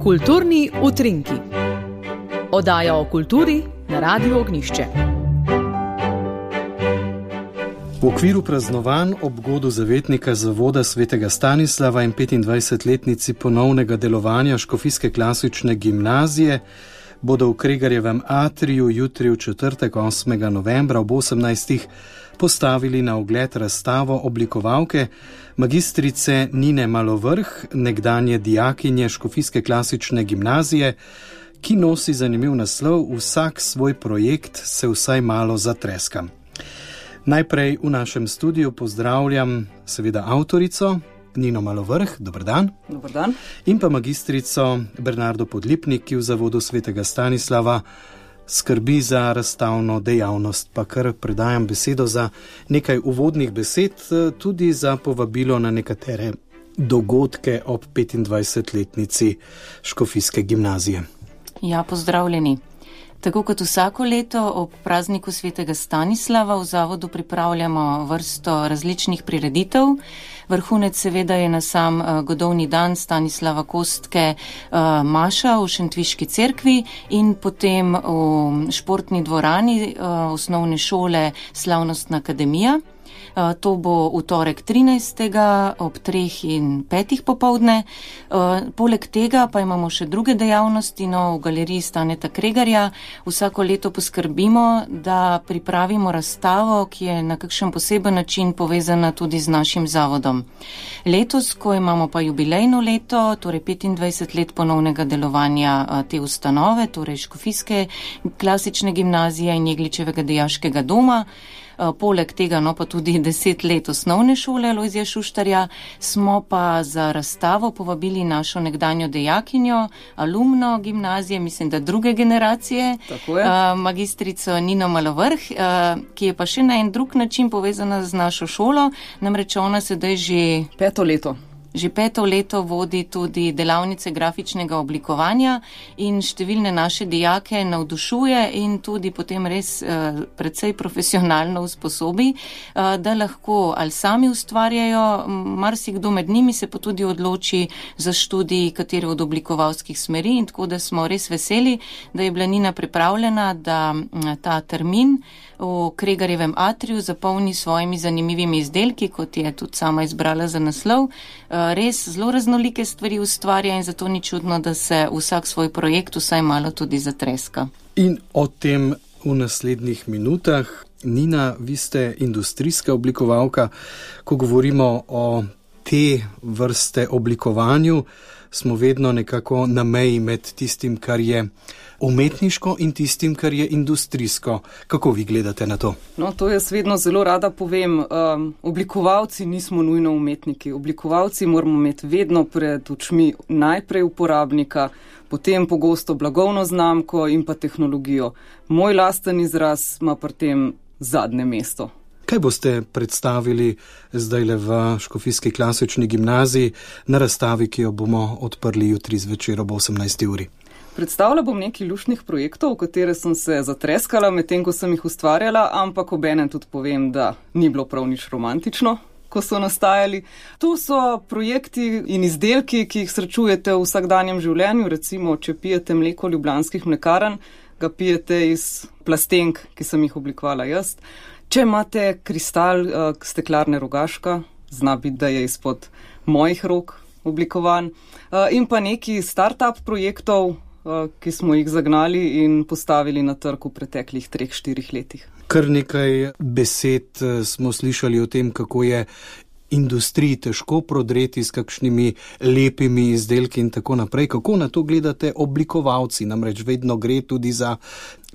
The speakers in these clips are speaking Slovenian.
Kulturni utrinki. Oddaja o kulturi na Radiu Ognjišče. V okviru praznovanj ob godu zavetnika zavoda svetega Stanislava in 25-letnici ponovnega delovanja Škofijske klasične gimnazije bodo v Kregarjevem atriju jutri v četrtek 8. novembra ob 18. postavili na ogled razstavo oblikovalke magistrice Nine Malovrh, nekdanje dijakinje Škofijske klasične gimnazije, ki nosi zanimiv naslov Vsak svoj projekt se vsaj malo zatreska. Najprej v našem studiu pozdravljam seveda avtorico Nino Malovrh, dober dan. Dober dan. In pa magistrico Bernardo Podlipnik, ki v zavodu svetega Stanislava skrbi za razstavno dejavnost. Pa kar predajam besedo za nekaj uvodnih besed, tudi za povabilo na nekatere dogodke ob 25-letnici Škofijske gimnazije. Ja, pozdravljeni. Tako kot vsako leto ob prazniku svetega Stanislava v zavodu pripravljamo vrsto različnih prireditev. Vrhunec seveda je na sam godovni dan Stanislava Kostke maša v Šentviški cerkvi in potem v športni dvorani osnovne šole Slavnostna akademija. To bo v torek 13. ob 3 in 5 popovdne. Poleg tega pa imamo še druge dejavnosti, v galeriji Staneta Kregarja. Vsako leto poskrbimo, da pripravimo razstavo, ki je na kakšen poseben način povezana tudi z našim zavodom. Letos, ko imamo pa jubilejno leto, torej 25 let ponovnega delovanja te ustanove, torej Škofijske klasične gimnazije in Jegličevega dijaškega doma, poleg tega pa tudi 10 let osnovne šole Lojzija Šuštarja, smo pa za razstavo povabili našo nekdanjo dijakinjo, alumno gimnazije, mislim, da druge generacije, magistrico Nino Malovrh, ki je pa še na en drug način povezana z našo šolo, namreč ona sedaj že 5. leto. Že 5. leto vodi tudi delavnice grafičnega oblikovanja in številne naše dijake navdušuje in tudi potem res precej profesionalno usposobi, da lahko ali sami ustvarjajo, marsikdo med njimi se pa tudi odloči za študij katere od oblikovalskih smeri in tako da smo res veseli, da je bila Nina pripravljena, da ta termin v Kregarjevem atriju zapolni svojimi zanimivimi izdelki, kot je tudi sama izbrala za naslov. Res zelo raznolike stvari ustvarja in zato ni čudno, da se vsak svoj projekt vsaj malo tudi zatreska. In o tem v naslednjih minutah. Nina, vi ste industrijska oblikovalka. Ko govorimo o te vrste oblikovanju, smo vedno nekako na meji med tistim, kar je umetniško in tistim, kar je industrijsko. Kako vi gledate na to? No, to jaz vedno zelo rada povem. Oblikovalci nismo nujno umetniki. Oblikovalci moramo imeti vedno pred očmi najprej uporabnika, potem pogosto blagovno znamko in pa tehnologijo. Moj lasten izraz ima pri tem zadnje mesto. Kaj boste predstavili zdajle v Škofijski klasični gimnaziji na razstavi, ki jo bomo odprli jutri zvečer ob 18. uri? Predstavila bom nekaj luštnih projektov, v katere sem se zatreskala medtem, ko sem jih ustvarjala, ampak obenem tudi povem, da ni bilo prav nič romantično, ko so nastajali. To so projekti in izdelki, ki jih srečujete v vsakdanjem življenju. Recimo, če pijete mleko Ljubljanskih mlekarn, ga pijete iz plastenk, ki sem jih oblikovala jaz. Če imate kristal steklarne Rogaška, zna biti, da je izpod mojih rok oblikovan. In pa neki start-up projektov, ki smo jih zagnali in postavili na trg v preteklih 3-4 letih. Kar nekaj besed smo slišali o tem, kako je industriji težko prodreti s kakšnimi lepimi izdelki in tako naprej. Kako na to gledate oblikovalci? Namreč vedno gre tudi za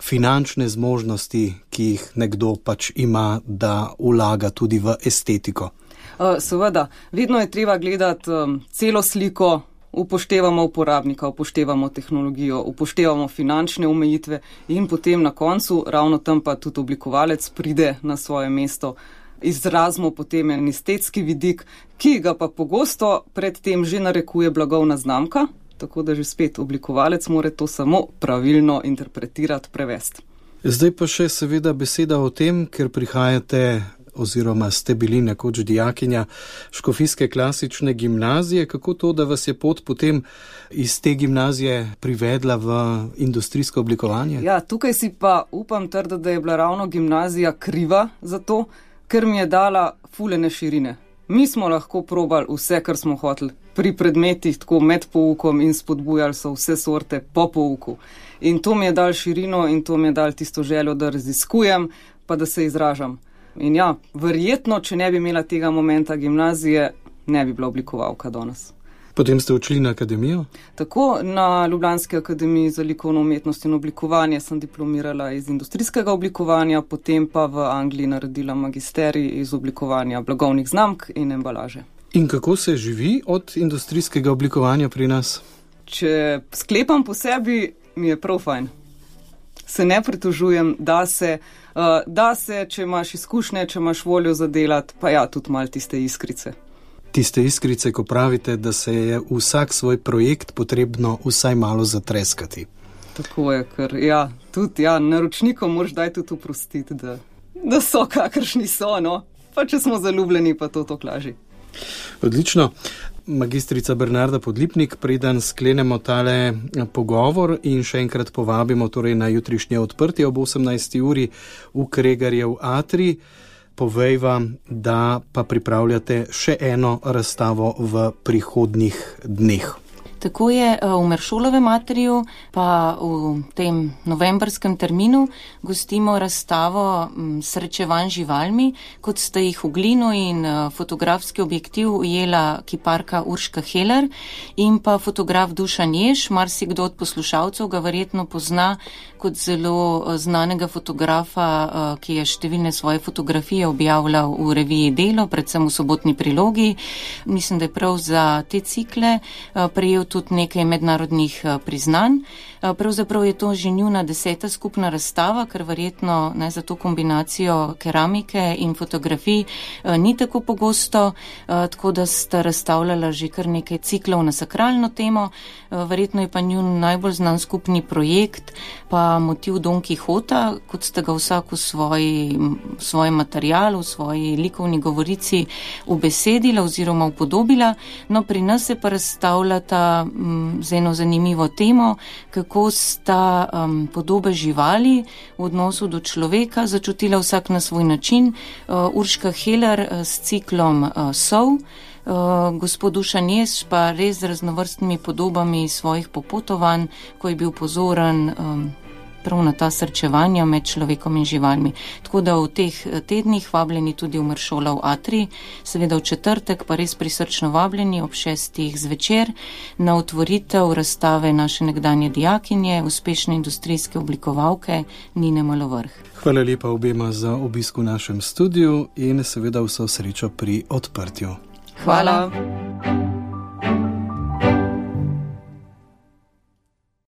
finančne zmožnosti, ki jih nekdo pač ima, da vlaga tudi v estetiko. Seveda, vedno je treba gledati celo sliko, upoštevamo uporabnika, upoštevamo tehnologijo, upoštevamo finančne omejitve in potem na koncu ravno tam pa tudi oblikovalec pride na svoje mesto. Izrazimo potem en estetski vidik, ki ga pa pogosto predtem že narekuje blagovna znamka, tako da že spet oblikovalec mora to samo pravilno interpretirati, prevesti. Zdaj pa še seveda beseda o tem, ker prihajate oziroma ste bili nekoč dijakinja Škofijske klasične gimnazije. Kako to, da vas je pot potem iz te gimnazije privedla v industrijsko oblikovanje? Ja, tukaj si pa upam trditi, da je bila ravno gimnazija kriva za to, ker mi je dala fulene širine. Mi smo lahko probali vse, kar smo hoteli pri predmetih, tako med poukom, in spodbujali so vse sorte po pouku. In to mi je dal širino in to mi je dal tisto željo, da raziskujem, pa da se izražam. In ja, verjetno, če ne bi imela tega momenta gimnazije, ne bi bila oblikovalka danes. Potem ste odšli na akademijo? Tako, na Ljubljanski akademiji za likovno umetnost in oblikovanje sem diplomirala iz industrijskega oblikovanja, potem pa v Angliji naredila magisterij iz oblikovanja blagovnih znamk in embalaže. In kako se živi od industrijskega oblikovanja pri nas? Če sklepam po sebi, mi je prav fajn. Se ne pritožujem, da se, če imaš izkušnje, če imaš voljo za delati, pa ja, tudi malo tiste iskrice. Tiste iskrice, ko pravite, da se je vsak svoj projekt potrebno vsaj malo zatreskati. Tako je, ker ja, tudi naročnikom moraš daj tudi oprostiti, da so kakršni so, no. Pa če smo zaljubljeni, pa to laži. Odlično. Magistrica Bernarda Podlipnik, preden sklenemo tale pogovor in še enkrat povabimo torej na jutrišnje odprtje ob 18. uri v Kregarjev atrij, povejva, da pa pripravljate še eno razstavo v prihodnjih dneh. Tako je v Meršolovem atriju, pa v tem novembrskem terminu gostimo razstavo srečevanj živalmi, kot sta jih v glino in fotografski objektiv ujela kiparka Urška Heller in pa fotograf Dušan Jež. Marsikdo od poslušalcev ga verjetno pozna kot zelo znanega fotografa, ki je številne svoje fotografije objavljal v reviji Delo, predvsem v sobotni prilogi. Mislim, da je prav za te cikle prejel tudi nekaj mednarodnih priznanj. Pravzaprav je to že njuna 10. skupna razstava, ker verjetno za to kombinacijo keramike in fotografij ni tako pogosto, tako da sta razstavljala že kar nekaj ciklov na sakralno temo. Verjetno je pa njun najbolj znan skupni projekt pa motiv Don Kihota, kot sta ga vsak v svojem materialu, v svoji likovni govorici ubesedila oziroma upodobila. No, pri nas se pa razstavljata z eno zanimivo temo, kako sta podobe živali v odnosu do človeka začutila vsak na svoj način. Urška Heller s ciklom Sov, gospod Dušan Jež pa res z raznovrstnimi podobami svojih popotovanj, ko je bil pozoren prav na ta srečevanja med človekom in živalmi. Tako da v teh tednih vabljeni tudi v Meršolov atrij, seveda v četrtek pa res prisrčno vabljeni ob 6. zvečer na otvoritev razstave naše nekdanje dijakinje, uspešne industrijske oblikovalke Nine Malovrh. Hvala lepa obema za obisk v našem studiu in seveda vso srečo pri odprtju. Hvala.